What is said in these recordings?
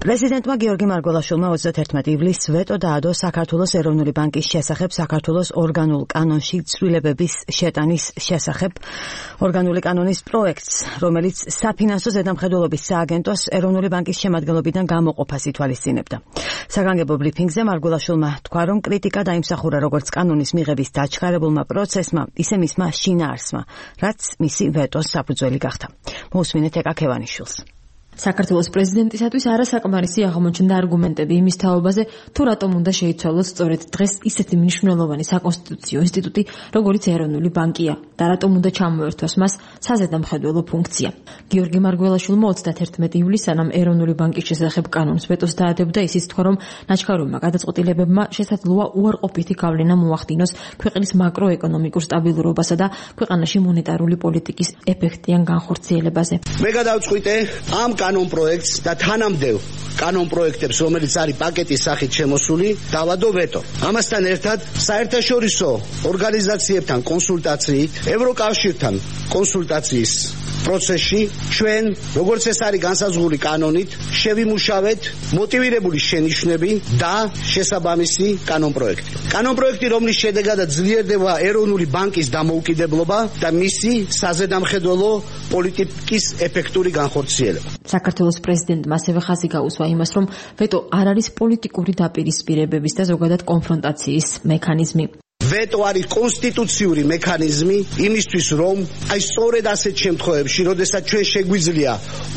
პრეზიდენტმა გიორგი მარგველაშვილმა 31 ივლისს ვეტო დაადო საქართველოს ეროვნული ბანკის შესახებ საქართველოს ორგანულ კანონში ცვლილებების შეტანის შესახებ ორგანული კანონის პროექტს, რომელიც საფინანსო ზედამხედველობის სააგენტოს ეროვნული ბანკის შემადგენლობიდან გამოყოფას ითვალისწინებდა. საგანგებო ბრიფინგზე მარგველაშვილმა თქვა, რომ კრიტიკა დაიმსახურა როგორც კანონის მიღების დაჩქარებულმა პროცესმა, ისე მისმა შინაარსმა, რაც მისი ვეტოს საფუძველი გახდა. მოусმინეთ ეკა ქევანიშვილს. საქართველოს პრეზიდენტისათვის არასაკმარისი აღმოჩნდა არგუმენტები იმის თაობაზე, თუ რატომ უნდა შეიცვალოს სწორედ დღეს ისეთი მნიშვნელოვანი საკონსტიტუციო ინსტიტუტი, როგორც ეროვნული ბანკია და რატომ უნდა ჩამოერთვას მას საზედამხედველო ფუნქცია. გიორგი მარგველაშვილმა 31 ივლისს სანამ ეროვნული ბანკის შესახებ კანონს ვეტოს დაადებდა, ისიც თქვა, რომ ნაჩქარომა გადაწყვეტილებებმა შესაძლოა უარყოფითი გავლენა მოახდინოს ქვეყნის მაკროეკონომიკურ სტაბილურობასა და ქვეყანაში მონეტარული პოლიტიკის ეფექტიან განხორციელებაზე. მე გადავწყვიტე ამ კანონ პროექტს და თანამდებობ კანონ პროექტებს, რომელიც არის პაკეტის სახით შემოსული, დავადო ვეტო. ამასთან ერთად საერთაშორისო ორგანიზაციებთან კონსულტაციით, ევროკავშირთან კონსულტაციის პროცესში ჩვენ, როგორც ეს არის განსაზღვრული კანონით, შევიმუშავეთ მოტივირებული შენიშვნები და შესაბამისი კანონ პროექტი. კანონ პროექტი, რომლის შედეგადაც ძლიერდება ეროვნული ბანკის დამოუკიდებლობა და მისი საზედამხედველო პოლიტიკის ეფექტური განხორციელება. საქართველოს პრეზიდენტმა ასევე ხაზი გაუსვა იმას, რომ ვეტო არ არის პოლიტიკური დაპირისპირებების და ზოგადად კონფრონტაციის მექანიზმი. ვეტო არის კონსტიტუციური მექანიზმი იმისთვის, რომ აი სწორედ ასეთ შემთხვევებში, როდესაც ჩვენ შეგვიძლია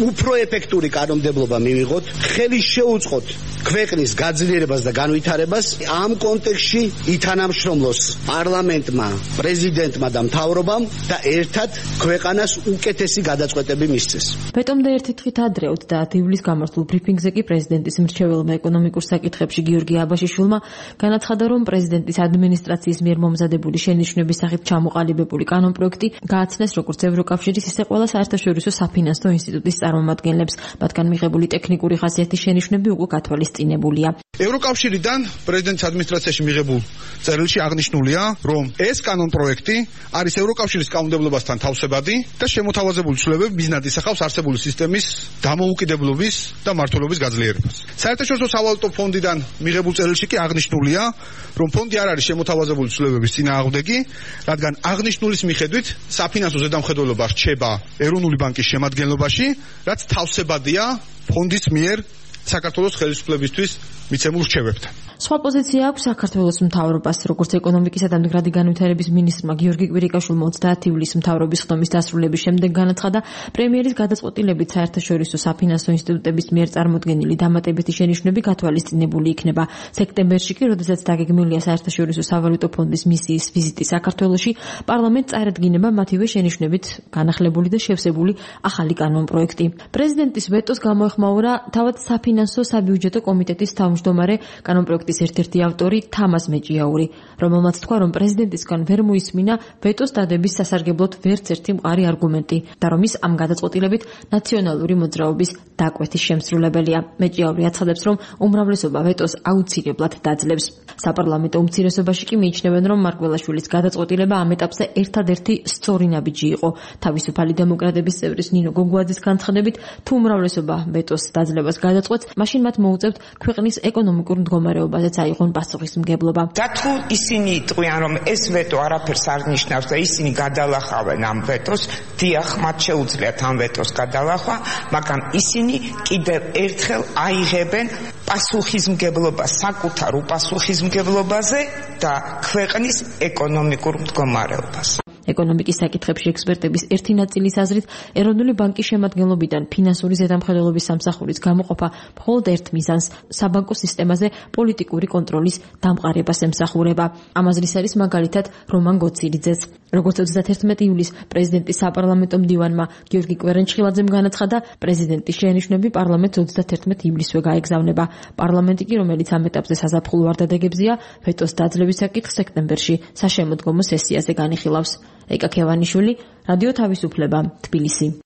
უფრო ეფექტური კანონმდებლობა მივიღოთ, ხელი შეუწყოთ ქვეყნის გაძლიერებას და განვითარებას, ამ კონტექსტში ითანამშრომლოს პარლამენტმა, პრეზიდენტმა და მთავრობამ და ერთად ქვეყანას უკეთესი გადაწყვეტები მისცეს. ვეტომდე ერთი დღით ადრე 30 ივლისს გამართულ ბრიფინგზე კი პრეზიდენტის მრჩეველმა ეკონომიკურ საკითხებში გიორგი აბაშიშვილმა განაცხადა, რომ პრეზიდენტის ადმინისტრაციის მიერ მომზადებული შენიშვნების სახით ჩამოყალიბებული კანონ პროექტი გააცნეს როგორც ევროკავშირის, ისე ყველა საერთაშორისო საფინანსო ინსტიტუტის წარმომადგენლებს, მათგან მიღებული ტექნიკური ხასიათის შენიშვნები უკვე გათვალისწინებულია. ევროკავშირიდან პრეზიდენტის ადმინისტრაციაში მიღებულ წერილში აღნიშნულია, რომ ეს კანონ პროექტი არის ევროკავშირის კანონმდებლობასთან თავსებადი და შემოთავაზებული ცვლილებები მიზნად ისახავს არსებული სისტემის დამოუკიდებლობის და მართლობის გაძლიერებას. საერთაშორისო სავალუტო ფონდიდან მიღებულ წერილში კი აღნიშნულია, რომ ფონდი არ არის შემოთავაზებული ცვლილებების წინააღმდეგი, რადგან აღნიშნულის მიხედვით საფინანსო ზედამხედველობა რჩება ეროვნული ბანკის შემადგენლობაში, რაც თავსებადია ფონდის მიერ საქართველოს ხელისუფლებისთვის მიცემულ რჩევებთან. სხვა პოზიცია აქვს საქართველოს მთავრობას, როგორც ეკონომიკისა და მდგრადი განვითარების მინისტრმა გიორგი კვირიკაშვილმა 30 ივლისს მთავრობის ხდომის დასრულების შემდეგ განაცხადა, პრემიერის გადაწყვეტილებით საერთაშორისო საფინანსო ინსტიტუტების მიერ წარმოდგენილი დამატებითი შენიშვნები გათვალისწინებული იქნება. სექტემბერში კი, როდესაც დაგეგმილია საერთაშორისო სავალუტო ფონდის მისიის ვიზიტი საქართველოში, პარლამენტს წარადგინება მათივე შენიშვნებით განახლებული და შევსებული ახალი კანონ პროექტი. პრეზიდენტის ვეტოს გამოეხმაურა თავად საფინანსო საბიუჯეტო კომიტეტის თავმჯდომარე კანონ პროექტის ერთ-ერთი ავტორი თამას მეჭიაური, რომელმაც თქვა, რომ პრეზიდენტისგან ვერ მოისმინა ვეტოს დადების სასარგებლოდ ვერც ერთი მყარი არგუმენტი და რომ ის ამ გადაწყვეტილებით ნაციონალური მოძრაობის დაკვეთის შემსრულებელია. მეჭიაური აცხადებს, რომ უმრავლესობა ვეტოს აუცილებლად დაძლევს. საპარლამენტო უმცირესობაში კი მიიჩნევენ, რომ მარგველაშვილის გადაწყვეტილება ამ ეტაპზე ერთადერთი სწორი ნაბიჯი იყო. თავისუფალი დემოკრატების წევრის ნინო გოგუაძის განცხადებით, თუ უმრავლესობა ვეტოს დაძლევას გადაწყვეტს, მაშინ მათ მოუწევთ ქვეყნის ეკონომიკურ მდგომარეობაზეც აიღონ პასუხისმგებლობა. და თუ ისინი იტყვიან, რომ ეს ვეტო არაფერს არ ნიშნავს და ისინი გადალახავენ ამ ვეტოს, დიახ, მათ შეუძლიათ ამ ვეტოს გადალახვა, მაგრამ ისინი კიდევ ერთხელ აიღებენ პასუხისმგებლობა საკუთარ უპასუხისმგებლობაზე და ქვეყნის ეკონომიკურ მდგომარეობას. ეკონომიკის საკითხებში ექსპერტების ერთი ნაწილის აზრით, ეროვნული ბანკის შემადგენლობიდან ფინანსური ზედამხედველობის სამსახურის გამოყოფა მხოლოდ ერთ მიზანს, საბანკო სისტემაზე პოლიტიკური კონტროლის დამყარებას ემსახურება. ამ აზრის არის მაგალითად რომან გოცილიძეც. როგორც 31 ივლისს პრეზიდენტის საპარლამენტო მდივანმა გიორგი კვერენჩხილაძემ განაცხადა, პრეზიდენტის შენიშვნები პარლამენტს 31 ივლისვე გაეგზავნება. პარლამენტი კი, რომელიც ამ ეტაპზე საზაფხულო ვარდადეგებზია, ვეტოს დაძლევის საკითხს სექტემბერში საშემოდგომო სესიაზე განიხილავს. ეკა ქევანიშვილი, რადიო თავისუფლება, თბილისი.